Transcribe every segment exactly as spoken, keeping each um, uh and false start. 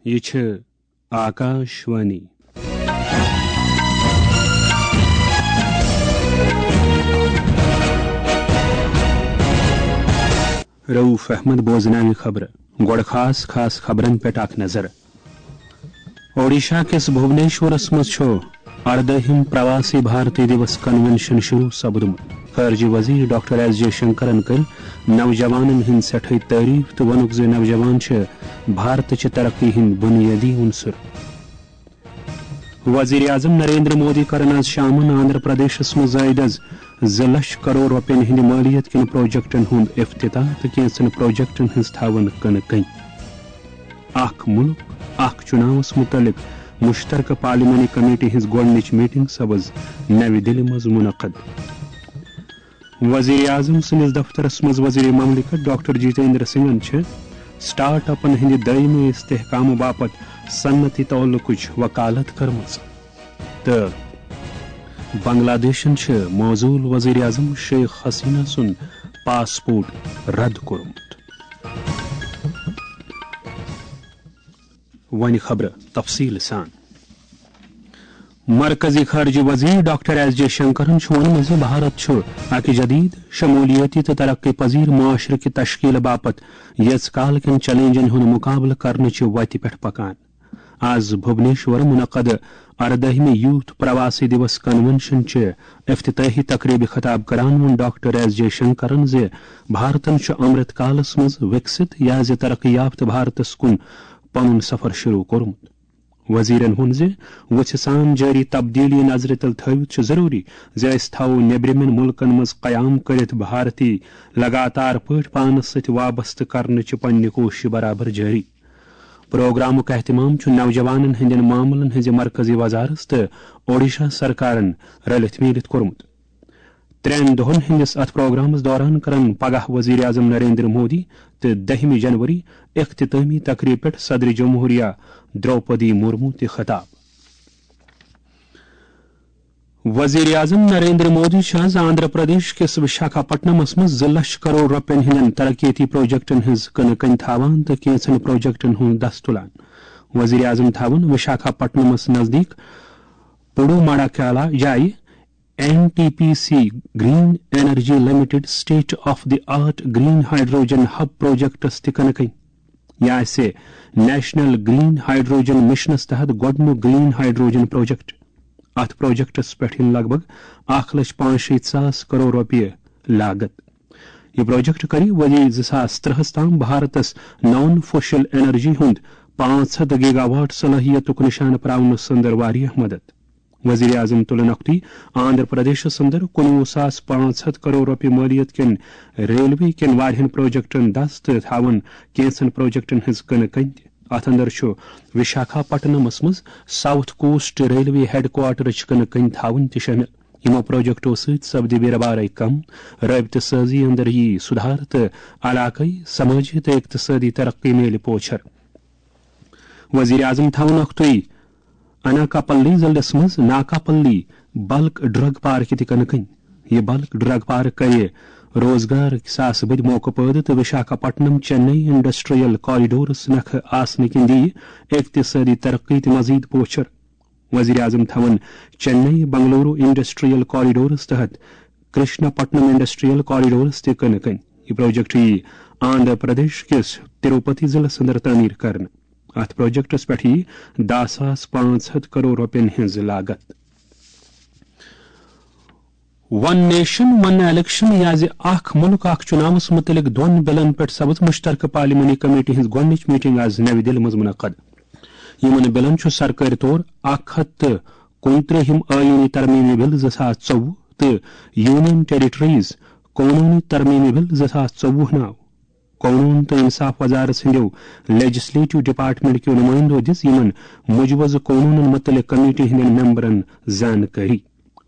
یہِ چھِ آکاش وانی۔ رؤف احمد بوزناوِ خبرٕ۔ گۄڈٕ خاص خاص خبرن پٮ۪ٹھ اکھ نظر۔ اوڈیشہ کِس بھوبنیشورس منٛز چھُ اردٲہِم پرواسی بھارتی دیوس کنونشن شروع سپدمُت۔ خارجہ وزیر ڈاکٹر ایس جے شنکرن کٔر نوجوانن ہٕنٛز سٮ۪ٹھٕے تعریف تہٕ ووٚنُکھ زِ نوجوان چھِ بھارتٕچہِ ترقی ہٕنٛدۍ بُنیٲدی عنصر۔ وزیر اعظم نریندر مودی کرن آز شامن آندھرا پردیشس منٛز زٲیدٕ از زٕ لچھ کرور رۄپین ہٕنٛدِ مٲلیت کٮ۪ن پروجیکٹن ہُنٛد افتتاح تہٕ کینٛژن پروجیکٹن ہٕنٛز تھاوَن کٕنہٕ کٔنۍ۔ اکھ مُلک، اکھ چُناوس مُتعلق مُشترکہٕ پارلیمانی کمیٹی ہٕنٛز گۄڈٕنِچ میٹنگ سپٕز نَوِ دِلہِ منٛز مُنعقد۔ وزیر اعظم سٕنٛدِس دفترس منٛز وزیر مملکت ڈاکٹر جتیندر سنگھن چھِ سٹارٹ اپن ہٕنٛدِ دٲیمی استحکامہٕ باپتھ صنعتی تعلقٕچ وکالت کٔرمٕژ تہٕ بنگلہ دیشن چھِ معزول وزیر اعظم شیخ حسینہ سُنٛد پاسپورٹ رد کوٚرمُت۔ وۄنۍ خبرٕ تفصیٖل سان۔ مرکزی خارجہ وزیر ڈاکٹر ایس جے شنکرن چھُ ووٚنمُت زِ بھارت چھُ اکہِ جدید، شمولیٲتی تہٕ ترقی پذیر معاشرٕ کہِ تشکیل باپتھ یٔژ کال کٮ۪ن چیلنجن ہُنٛد مقابلہٕ کرنہٕ چہِ وتہِ پٮ۪ٹھ پکان۔ آز بھوبنیشور منعقد اردٲہمہِ یوتھ پرواسی دیوس کنونشن چہِ افتتاحی تقریبہِ خطاب کران ووٚن ڈاکٹر ایس جے شنکرن زِ بھارتن چھُ امرت کالس منٛز وکست یا زِ ترقی یافتہٕ بھارتس کُن پنُن سفر شروع کوٚرمُت۔ وزیرن ووٚن زِ وُژھِ سان جٲری تبدیلی نظرِ تل تھٲوِتھ چھُ ضروٗری زِ أسۍ تھاوو نیبرِمٮ۪ن مُلکن منٛز قیام کٔرِتھ بھارتی لگاتار پٲٹھۍ پانس سۭتۍ وابستہٕ کرنٕچہِ پننہِ کوٗششہِ برابر جٲری۔ پروگرامُک اہتمام چھُ نوجوانن ہٕنٛدٮ۪ن معاملن ہٕنٛزِ مرکزی وزارت تہٕ اوڈیشہ سرکارن رلِتھ میٖلِتھ کوٚرمُت۔ ترٛٮ۪ن دۄہن ہٕنٛدِس اتھ پروگرامس دوران کرن پگاہ وزیر اعظم نریندر مودی تہٕ دٔہمہِ جنوری اختتٲمی تقریب پٮ۪ٹھ صدر جمہوریہ درٛوپدی مرمو تہِ خطاب۔ وزیر اعظم نریندر مودی چھُ آز آندھرا پردیش کِس وشاکھا پٹنمس منٛز زٕ لچھ کرور رۄپین ہٕنٛدٮ۪ن ترقیتی پروجیکٹن ہٕنٛز کٕنہٕ کٔنۍ تھاوان تہٕ کینٛژن پروجیکٹن ہُنٛد دس تُلان۔ وزیر اعظم تھاوَن وشاکھا پٹنمس نزدیٖک پڈوماڑا کالا جایہِ N T P C green energy limited state of the art green hydrogen hub projects تہِ کٕنہٕ کٔنۍ۔ یہِ آسہِ نیشنل گرین ہائیڈروجن مشنس تحت گۄڈٕنیُک گرین ہائیڈروجن پروجیکٹ۔ اتھ پروجیکٹس پٮ۪ٹھ یِن لگ بھگ اکھ لچھ پانٛژھ شیٖتھ ساس کرور رۄپیہِ لاگت۔ یہِ پروجیکٹ کرِ ؤری زٕ ساس ترٛہس تام بھارتس نان فوشل انرجی ہُنٛد پانٛژھ ہتھ گیگا واٹ صلٲحیتُک نشانہٕ پراونس اندر واریاہ مدد۔ وزیر اعظم تُلن اکھتُے آندھرا پردیشس اندر کُنوُہ ساس پانٛژھ ہتھ کرور رۄپیہِ مٲلیت کٮ۪ن ریلوے کٮ۪ن واریاہن پروجیکٹن دس تہٕ تھاوَن کینٛژن پروجیکٹن ہٕنٛز کٕنہٕ کٔنۍ تہِ۔ اتھ اندر چھُ وشاکھا پٹنمس منٛز ساؤتھ کوسٹ ریلوے ہیڈ کوارٹرٕچ کٕنہٕ کٔنۍ تھاوٕنۍ تہِ شٲمِل۔ یِمو پروجیکٹو سۭتۍ سپدِ بیرٕ بارے کم، رٲبطہٕ سٲزی اندر یی سُدھار تہٕ علاقٲیی، سمٲجی تہٕ اقتصٲدی ترقی میلہِ پوچھر۔ وزیر اعظم تھاوَن اکھتُے اناکاپلی ضلعس منٛز ناکاپلی بلک ڈرگ پارک تہِ کٕنہٕ کٔنۍ۔ یہِ بلک ڈرگ پارک کرِ روزگار کِس آسہٕ بٔدۍ موقعہٕ پٲدٕ تہٕ وشاکھا پٹنم چنئی انڈسٹریل کوریڈورس نکھٕ آسنہٕ کِنۍ دِیہِ اقتصٲدی ترقی تہِ مزید پوچھر۔ وزیر اعظم تھاوَن چنئی بنگلورو انڈسٹریل کوریڈورس تحت کرشنا پٹنم انڈسٹریل کوریڈورس تہِ کٕنہٕ کٔنۍ۔ یہِ پروجیکٹ یِیہِ آندھرا پردیش کِس تروپتی ضلعس اندر تعمیٖر کرنہٕ۔ اتھ پروجیکٹس پٮ۪ٹھ یِیہِ دَہ ساس پانٛژھ ہتھ کرور رۄپین ہٕنٛز لاگت۔ ون نیشن ون الیکشن یا زِ اکھ مُلک اکھ چُناوس مُتعلق دۄن بِلن پٮ۪ٹھ سپٕز مُشترکہٕ پارلیمانی کمیٹی ہٕنٛز گۄڈٕنِچ میٹنگ آز نَوِ دِلہِ منٛز مُنعقد۔ یِمن بِلن چھُ سرکٲرۍ طور اکھ ہتھ تہٕ کُنترٛہِم آئینی ترمیمی بِل زٕ ساس ژوٚوُہ تہٕ یونین ٹیریٹریز قونوٗنی ترمیمی بِل زٕ ساس ژوٚوُہ ناو۔ قونوٗن تہٕ انصاف وزارت سٕنٛدیو لیجسلیٹو ڈپارٹمنٹ کیو نمائندو دِژ یِمن مجوزٕ قونوٗنن مُتعلق کمیٹی ہٕنٛدٮ۪ن ممبرن زانکٲری۔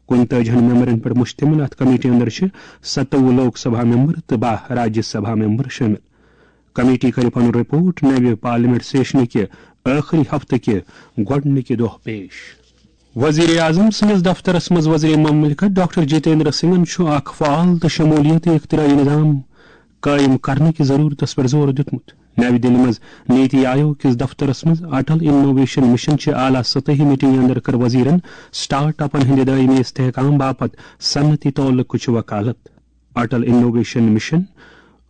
کُنتٲجِہن ممبرن پٮ۪ٹھ مشتمل اتھ کمیٹی اندر چھِ ستووُہ لوک سبھا ممبر تہٕ باہ راجیہ سبھا ممبر شٲمِل۔ کمیٹی کرِ پنُن رپورٹ نوِ پارلیمنٹ سیشنہٕ کہِ ٲخری ہفتہٕ کہِ گۄڈٕنِکہِ دۄہ پیش۔ وزیر اعظم سٕنٛدِس دفترس منٛز وزیر مملکت ڈاکٹر جتیندر سنگھن چھُ اکھ فعال تہٕ شمولیتی اختراعی نظام قٲیِم کرنہٕ کِس ضروٗرتس پٮ۪ٹھ زور دیُتمُت۔ نَوِ دِلہِ منٛز نیتی آیوگ کِس دفترس منٛز اٹل انوویشن مشن چہِ اعلیٰ سطحی میٹنگہِ اندر کٔر وزیرن سٹارٹ اپن ہٕنٛدِ دٲیمی استحکام باپتھ صنعتی تعلقٕچ وکالت۔ اٹل انوویشن مشن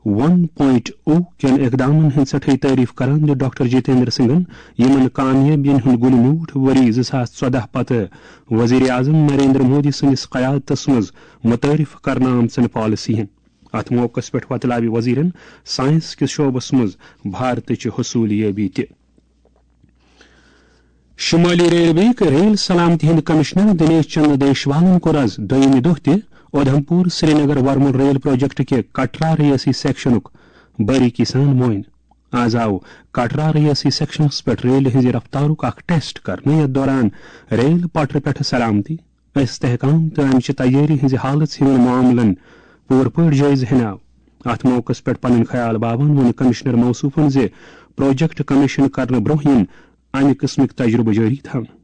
ون پوائنٹ او کٮ۪ن اقدامن ہٕنٛز سٮ۪ٹھاے تعریف کران دیُت ڈاکٹر جتیندر سنگھن یِمن کامیٲبین ہُنٛد گُلہِ میوٗٹھ ؤری زٕ ساس ژۄدہ پتہٕ وزیر اعظم نریندر مودی سٕنٛدِس قیادتس منٛز متعارف کرنہٕ آمژن پالیسین۔ اتھ موقعس پٮ۪ٹھ وۄتلاوِ وزیرن سائنس کِس شعبس منٛز بھارتٕچ حصولیابی تہِ۔ شمالی ریلوے ریل سلامتی ہٕنٛدۍ کمشنر دنیش چندر دیشوالن کوٚر از دوٚیمہِ دۄہ تہِ اودھمپور سرینگر ورمُل ریل پروجیکٹ کہِ کٹرا ریاسی سیکشنُک باریکی سان معائنہٕ۔ از آو کٹرا ریاسی سیکشنس پٮ۪ٹھ ریلہِ ہٕنٛزِ رفتارُک اکھ ٹیسٹ کرنہٕ، یتھ دوران ریل پٹرِ پٮ۪ٹھ سلامتی، استحکام تہٕ امچہِ تیٲری ہٕنٛزِ حالژ ہِوٮ۪ن معاملن پوٗرٕ پٲٹھۍ جٲیزٕ ہینہٕ آو۔ اتھ موقعس پٮ۪ٹھ پنٕنۍ خیال باوان ووٚن کمشنر موصوفن زِ پروجیکٹ کمیشن کرنہٕ برونٛہہ یِن امہِ قٕسمٕکۍ تجرُبہٕ جٲری تھاونہٕ۔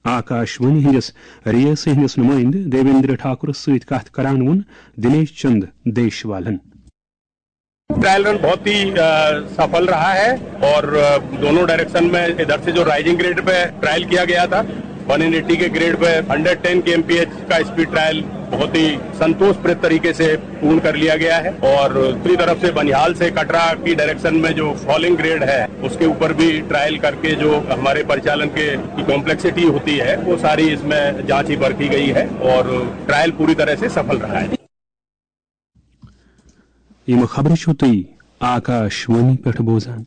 آکاش وانی ہٕنٛدِس ریاسی ہٕنٛدِس نُمٲیندٕ دیویندر ٹھاکرس سۭتۍ کتھ کران ووٚن دنیش چند دیشوالن۔ ट्रायल रन बहुत ही अ, सफल रहा है और अ, दोनों डायरेक्शन में इधर से जो राइजिंग ग्रेड पे ट्रायल किया गया था, वन एटी के grade pay hundred ten kmph का स्पीड ट्रायल बहुत ही संतोषप्रद तरीके से पूर्ण कर लिया गया है और दूसरी तरफ से बनिहाल से कटरा की डायरेक्शन में जो फॉलिंग ग्रेड है, उसके ऊपर भी ट्रायल करके जो हमारे परिचालन के की कॉम्प्लेक्सिटी होती है, वो सारी इसमें जांची परखी गई है और ट्रायल पूरी तरह से सफल रहा है। یِم خبرٕ چھِو تُہۍ آکاش وانی پٮ۪ٹھ بوزان۔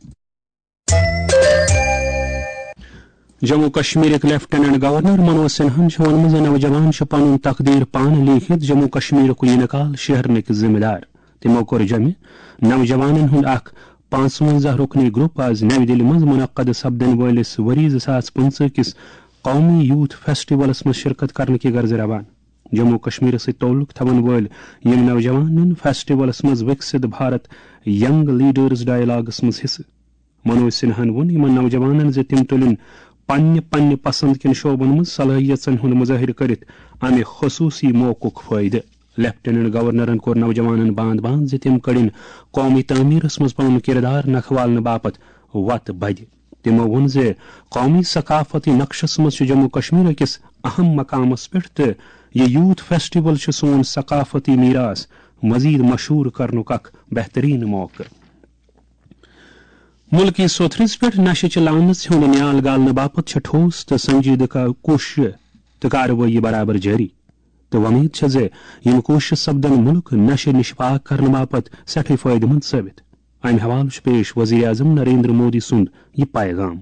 جموں کشمیرٕکۍ لیفٹیننٹ گورنر منوج سنہاہن چھُ ووٚنمُت زِ نوجوان چھِ پنُن تقدیر پانہٕ لیکھِتھ جموں کشمیرُک انتقال شیہرنٕکۍ ذمہٕ دار۔ تِمو کوٚر جمع نوجوانن ہُنٛد اکھ پانٛژونزاہ رُکنی گروپ آز نَوِ دِلہِ منٛز منعقد سپدن وٲلِس ؤری زٕ ساس پٕنٛژٕہ کِس قومی یوتھ فیسٹیولس منٛز شرکت کرنہٕ کہِ غرضہٕ روانہٕ۔ جموں و کشمیرس سۭتۍ تعلق تھاون وٲلۍ یِم نوجوان نِن فیسٹیولس منٛز وِکسِت بھارت ینگ لیڈرز ڈائیلاگس منٛز حصہٕ۔ منوج سنہاہن ووٚن یِمن نوجوانن زِ تِم تُلِن پننہِ پننہِ پسند کٮ۪ن شعبن منٛز صلٲحیژن ہُنٛد مظٲہرٕ کٔرِتھ امہِ خصوصی موقعُک فٲیدٕ۔ لیفٹیننٹ گورنرن کوٚر نوجوانن باند باند زِ تِم کٔڑِن قومی تعمیرس منٛز پنُن کردار نکھٕ والنہٕ باپتھ وتہٕ بدِ۔ تِمو ووٚن زِ قومی ثقافتی نقشس منٛز چھُ جموں کشمیر أکِس اہم مقامس پٮ۪ٹھ تہٕ یہِ یوتھ فیسٹیول چھُ سون ثقافتی میراث مزید مشہوٗر کرنُک اکھ بہترین موقعہٕ۔ مُلکی سوٚتھرِس پٮ۪ٹھ نشہٕ چہِ لعنژ ہُنٛد نیال گالنہٕ باپتھ چھِ ٹھوس تہٕ سنجیدٕ کا-، کوٗششہٕ تہٕ کاروٲیی برابر جٲری۔ تہٕ وۄمید چھےٚ زِ یِم کوٗششہٕ سپدن مُلک نشہٕ نِش پاک کرنہٕ باپتھ سٮ۪ٹھٕے فٲیدٕ مند ثٲبِت۔ امہِ حوالہٕ چھُ پیش وزیر اعظم نریندر مودی سُنٛد یہِ پیغام۔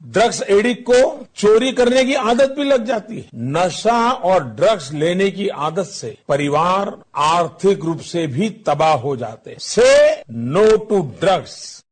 ड्रग्स एडिक्ट को चोरी करने की आदत भी लग जाती है। नशा और ड्रग्स लेने की आदत से परिवार आर्थिक रूप से भी तबाह हो जाते हैं। से नो टू ड्रग्स।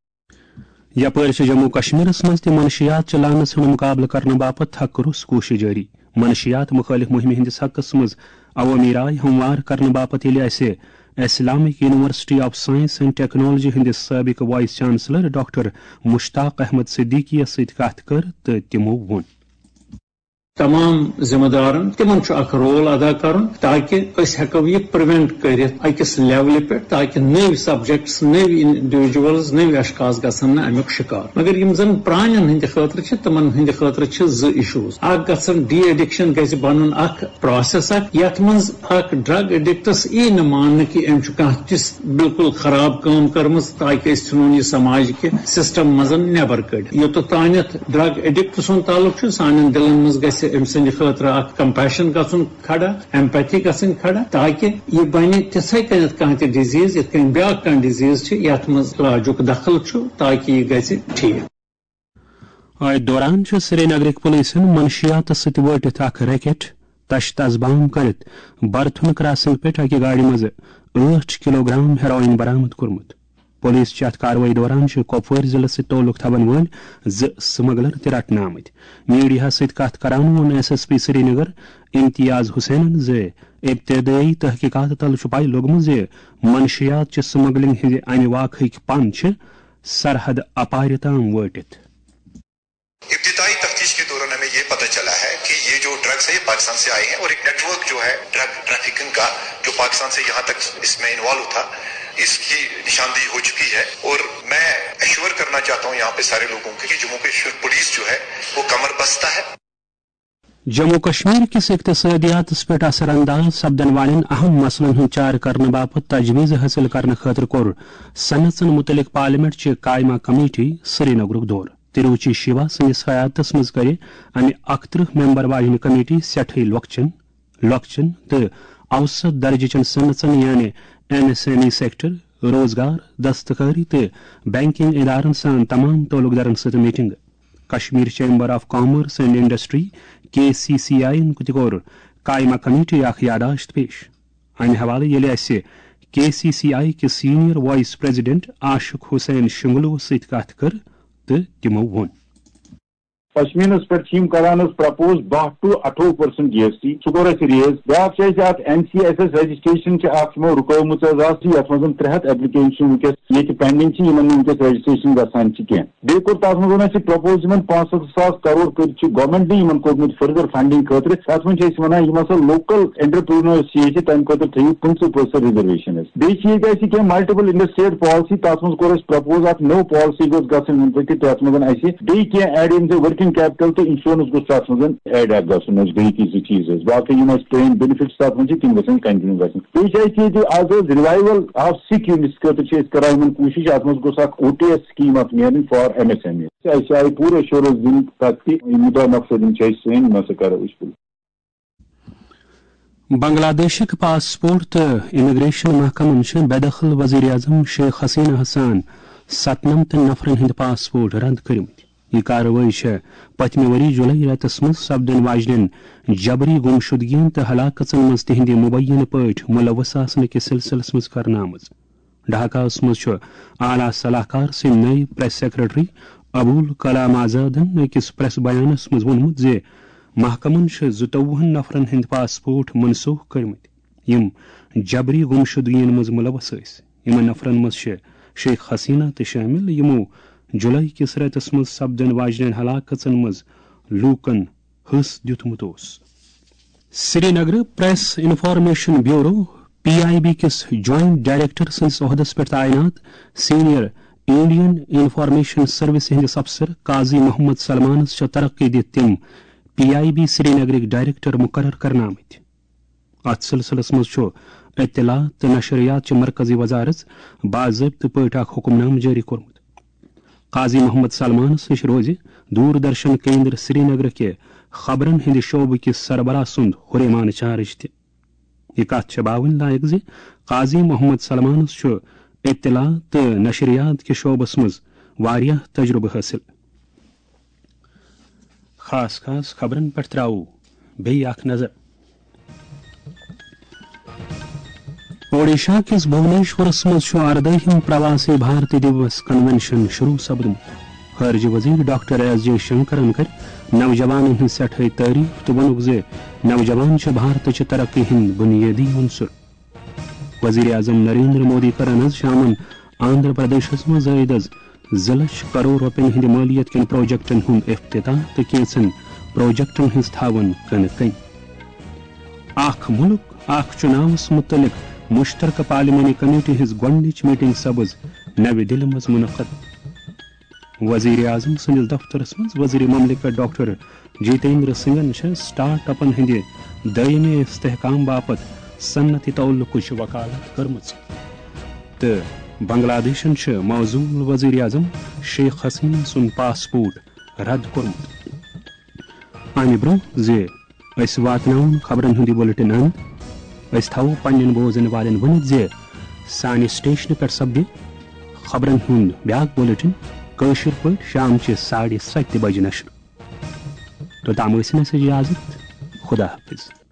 یپٲرۍ چھِ جموں کشمیرس منٛز تہِ منشیات چہِ لعنژ ہُنٛد مُقابلہٕ کرنہٕ باپتھ تھکہٕ روٚس کوٗشش جٲری۔ منشیات مُخٲلف مُہِمہِ ہٕنٛدِس حقس منٛز عوٲمی راے ہموار کرنہٕ باپتھ ییٚلہِ اسہِ Islamic university of science and technology ہٕنٛدِس سٲبِق vice chancellor doctor Mushtaq Ahmad Siddiqui یس سۭتۍ کتھ کٔر تہٕ تِمو ووٚن۔ تمام ذمہ دارن تمن چھُ اکھ رول ادا کرُن تاکہ أسۍ ہیٚکو یہِ پریونٹ کٔرِتھ أکِس لیولہِ پٮ۪ٹھ تاکہ نٔوۍ سبجیکٹس، نٔوۍ انڈیویجولز، نٔوۍ اشخاص گژھن نہٕ امیُک شکار۔ مگر یِم زن پرانٮ۪ن ہٕنٛدِ خٲطرٕ چھِ، تِمن ہٕنٛدِ خٲطرٕ چھِ زٕ ایشوز۔ اکھ گژھن ڈی ایڈکشن گژھِ بنُن اکھ پروسیس اکھ یتھ منٛز اکھ ڈرگ ایڈکٹس یی نہٕ ماننہٕ کہِ أمۍ چھُ کانٛہہ تِژھ بالکل خراب کٲم کٔرمٕژ تاکہ أسۍ ژھٕنون یہِ سماج کہِ سسٹم منٛز نٮ۪بر کٔڑِتھ۔ یوٚتتھ تانٮ۪تھ ڈرگ ایڈکٹ سُنٛد تعلق چھُ، سانٮ۪ن دِلن منٛز گژھِ أمۍ سٕنٛدِ خٲطرٕ اکھ کمپیشن گژھُن کھڑا، ایمپیتھی گژھٕنۍ کھڑا، تاکہ یہِ بنہِ تِتھے کٔنٮ۪تھ کانٛہہ تہِ ڈیزیز یِتھ کٔنۍ بیٛاکھ کانٛہہ ڈیزیز چھِ یتھ منٛز علاجُک دخل چھُ، تاکہ یہِ گژھِ ٹھیک۔ أتھۍ دوران چھِ سرینگرٕکۍ پُلیٖسن منشیاتس سۭتۍ وٲٹِتھ اکھ ریکٹ تشت ازبام کٔرِتھ برتھن کراسنگ پٮ۪ٹھ اکہِ گاڑِ منٛز ٲٹھ کلوگرام ہیروئن برآمد کوٚرمُت۔ پُلیٖس چھِ اتھ کاروٲیی دوران چھِ کۄپوٲرۍ ضلعس سۭتۍ تعلق تھاون وٲلۍ زٕ سمگلر تہِ رٹنہٕ آمٕتۍ۔ میڈیاہس سۭتۍ کتھ کران ووٚن ایس ایس پی سرینگر امتیاز حسینن زِ ابتدٲیی تحقیقات تل چھُ پَے لوٚگمُت زِ منشیات چہِ سمگلنگ ہٕنٛزِ امہِ واقعٕکۍ پن چھِ سرحد اپارِ تام وٲٹِتھ۔ ابتدائی تفتیش کے دوران ہمیں یہ پتہ چلا ہے کہ یہ جو ڈرگز ہے، یہ پاکستان سے آئے ہیں اور ایک نیٹ ورک جو ہے ڈرگ ٹریفکنگ کا، جو پاکستان سے یہاں تک اس میں انوالو تھا، इसकी निशानदेही हो चुकी है और मैं एश्योर करना चाहता हूं यहां पे सारे लोगों को कि जम्मू कश्मीर पुलिस जो है, वो कमर बस्ता है। जम्मू कश्मीर کِس اقتصٲدِیاتس پٮ۪ٹھ اثر انداز سپدن والٮ۪ن اہم مسلن ہُنٛد چارٕ کرنہٕ باپتھ تجویز حٲصِل کرنہٕ خٲطرٕ کوٚر صنعژن مُتعلق پارلیمنٹ چہِ قائمہ کمیٹی سرینگرُک دورٕ۔ تروچی شیوا سٕنٛدِس قیادتس منٛز کٔرِ امہِ اکترٕہ ممبر واجنہِ کمیٹی سٮ۪ٹھٕے لۄکچن، لۄکچن تہٕ اوسط درجہٕ چٮ۪ن صنعژن یعنی M S M E sector, روزگار، دستکاری تہٕ بینکنگ ادارن سان تمام تعلق دارن سۭتۍ meeting. Kashmir chamber of commerce and industry, K C C I, تہِ کوٚر قائمہ کمیٹی اکھ یادداشت پیش۔ امہِ حوالہٕ ییٚلہِ اسہِ کے سی سی آئی کِس سینئر وائس پریزیڈنٹ عاشق حسین شنگلوَس سۭتۍ کتھ کٔر تہٕ تِمو ووٚن۔ پشمینس پٮ۪ٹھ چھِ یِم کران حظ پرپوز دَہ to اَٹھووُہ percent جی ایس ٹی، سُہ کوٚر اَسہِ ریز۔ بیٛاکھ چھِ اَسہِ اَتھ N C S S registration چھِ اَکھ یِمو رُکٲومٕژ حظ اَتھ، یَتھ منٛز ترٛےٚ ہَتھ ایپلیکیشن وٕنکیٚس ییٚتہِ پینڈنگ چھِ، یِمن نہٕ وٕنکیٚس رجسٹریشن گژھان چھِ کینٛہہ۔ بیٚیہِ کوٚر تَتھ منٛز ووٚن اَسہِ پرپوز یِمن پانٛژھ ہَتھ ساس کرور کٔرۍ چھِ گورنمنٹٕے یِمن کوٚرمُت فردر فنڈنگ خٲطرٕ، تَتھ منٛز چھِ أسۍ وَنان یِم ہسا لوکل انٹرپرینٲرس چھِ ییٚتہِ تَمہِ خٲطرٕ تھٲیِو پٕنٛژٕہ percent ریزرویشن اَسہِ۔ بیٚیہِ چھِ ییٚتہِ اَسہِ کینٛہہ ملٹیپل انٹرسٹیٹ پالیسی، تَتھ منٛز کوٚر اَسہِ پرپوز اَکھ نٔو پالیسی گٔژھ گژھٕنۍ اِمپلمنٹ، تَتھ منٛز اَسہِ بیٚیہِ کینٛہہ ایڈ اِن ورکنگ کیپٹل تہٕ انشورنس گوٚژھ تَتھ منٛز ایڈ اَکھ گژھُن، اَسہِ بیٚیہِ تہِ زٕ چیٖز ٲسۍ۔ باقٕے یِم اَسہِ پرٲنۍ بینیفٹس تَتھ منٛز چھِ، تِم گژھن کنٹینیو گژھٕنۍ۔ بیٚیہِ چھِ اَسہِ ییٚتہِ آز حظ ریوائیول آف سِک یوٗنٹس خٲطرٕ چھِ أسۍ کران یِمن کوٗشِش، اَتھ منٛز گوٚژھ اکھ او ٹی ایس سکیٖم اَکھ نیرٕنۍ for M S M E. اَسہِ آیہِ پوٗرٕ ایشورنس دِنہٕ تَتھ تہِ، یِم مُدا مقصد یِم چھِ اَسہِ سٲنۍ، یِم ہسا کرو أسۍ پوٗرٕ۔ بنگلہ دیشٕکۍ پاسپورٹ تہٕ امیگریشن محکمن چھِ بے دخل وزیر اعظم شیخ حسینہ ہَس سان ستنمتن نفرن ہٕنٛدۍ پاسپورٹ رد کٔرمٕتۍ۔ یہِ کاروٲیی چھےٚ پٔتمہِ ؤری جولائی رٮ۪تس منٛز سپدن واجنٮ۪ن جبری گمشدگین تہٕ ہلاکژن منٛز تِہنٛدِ مبینہٕ پٲٹھۍ ملوث آسنہٕ کِس سلسلس منٛز کرنہٕ آمٕژ۔ ڈھاکاہس منٛز چھُ اعلیٰ صلاح کار سٕنٛدۍ نٔوۍ پریس سیکرٹری ابول کلام آزادن أکِس پریس بیانس منٛز ووٚنمُت زِ محکمن چھِ زٕتووُہن نفرن ہٕنٛدۍ پاسپورٹ منسوخ کٔرمٕتۍ، یِم جبری گمشدگین منٛز ملوث ٲسۍ۔ یِمن نفرن منٛز چھِ شیخ حسینہ تہِ شٲمِل، یِمو جولائی کِس رٮ۪تس منٛز سپدن واجنٮ۪ن ہلاکژن منٛز لوٗکن حصہٕ دیُتمُت اوس۔ سرینگرٕ press information bureau, P I B, کِس جوائنٹ ڈائریکٹر سٕنٛدِس عہدس پٮ۪ٹھ تعینات سینئر انڈین انفارمیشن سروس ہٕنٛدِس افسر قاضی محمد سلمانس چھےٚ ترقی دِتھ تِم پی آئی بی سرینگرٕکۍ ڈائریکٹر مقرر کرنہٕ آمٕتۍ۔ اتھ سلسلس منٛز چھُ اطلاعات تہٕ نشریات چہِ مرکزی وزارت باضٲبطہٕ پٲٹھۍ اکھ حکم نامہٕ جٲری کوٚرمُت۔ قاضی محمد سلمانس نِش روزِ دوردرشن کیندر سرینگر کہِ خبرن ہٕنٛدِ شعبہٕ کِس سربراہ سُنٛد ہُریمان چارج تہِ۔ یہِ کتھ چھےٚ باوٕنۍ لایق زِ قاضی محمد سلمانس چھُ اطلاعات تہٕ نشریات کہِ شعبس منٛز واریاہ تجربہٕ حٲصِل۔ خاص خاص خبرن پٮ۪ٹھ تراوو بیٚیہِ اکھ نظر۔ اوڈیشہ کِس بھونیشورس منٛز چھُ اردٲہِم پرواسی بھارتی دیوس کنونشن شروع سپدمُت۔ خارجہ وزیر ڈاکٹر ایس جے شنکرن کٔر نوجوانن ہٕنٛز سٮ۪ٹھاے تعریف تہٕ ووٚنُکھ زِ نوجوان چھِ بھارتٕچہِ ترقی ہٕنٛدۍ بُنیٲدی عنصر۔ وزیر اعظم نریندر مودی کٔر از شامن آندھرا پردیشس منٛز عٲید از زٕ لچھ کرور رۄپین ہٕنٛدِ مٲلیت کٮ۪ن پروجیکٹن ہُنٛد افتتاح تہٕ کینٛژن پروجیکٹن ہٕنٛز تھاوٕن کٕنہٕ کٔنۍ۔ اکھ مُلک، اکھ چُناوس مُتعلق مُشترکہٕ پارلیمانی کمیٹی ہٕنٛز گۄڈٕنِچ میٹنگ سپٕز نَوِ دِلہِ منٛز مُنعقد۔ وزیر اعظم سٕنٛدِس دفترس منٛز وزیر مملکت ڈاکٹر جتیندر سنگھن چھےٚ سٹارٹ اپن ہٕنٛدِ دٲیمی استحکام باپتھ صنعتی تعلقٕچ وکالت کٔرمٕژ تہٕ بنگلہ دیشن چھُ معزول وزیر اعظم شیخ حسینہ سُنٛد پاسپورٹ رد کوٚرمُت۔ امہِ برٛونٛہہ زِ أسۍ واتناوون خبرن ہُنٛد یہِ بُلٹن اند، أسۍ تھاوو پننٮ۪ن بوزن والٮ۪ن ؤنِتھ زِ سانہِ سٹیشنہٕ پٮ۪ٹھ سپدِ خبرن ہُنٛد بیاکھ بُلٹن کٲشِر پٲٹھۍ شامچہِ ساڑِ ستہِ بجہِ نشر۔ توٚتام ٲسِن اَسہِ اجازت۔ خدا حافظ۔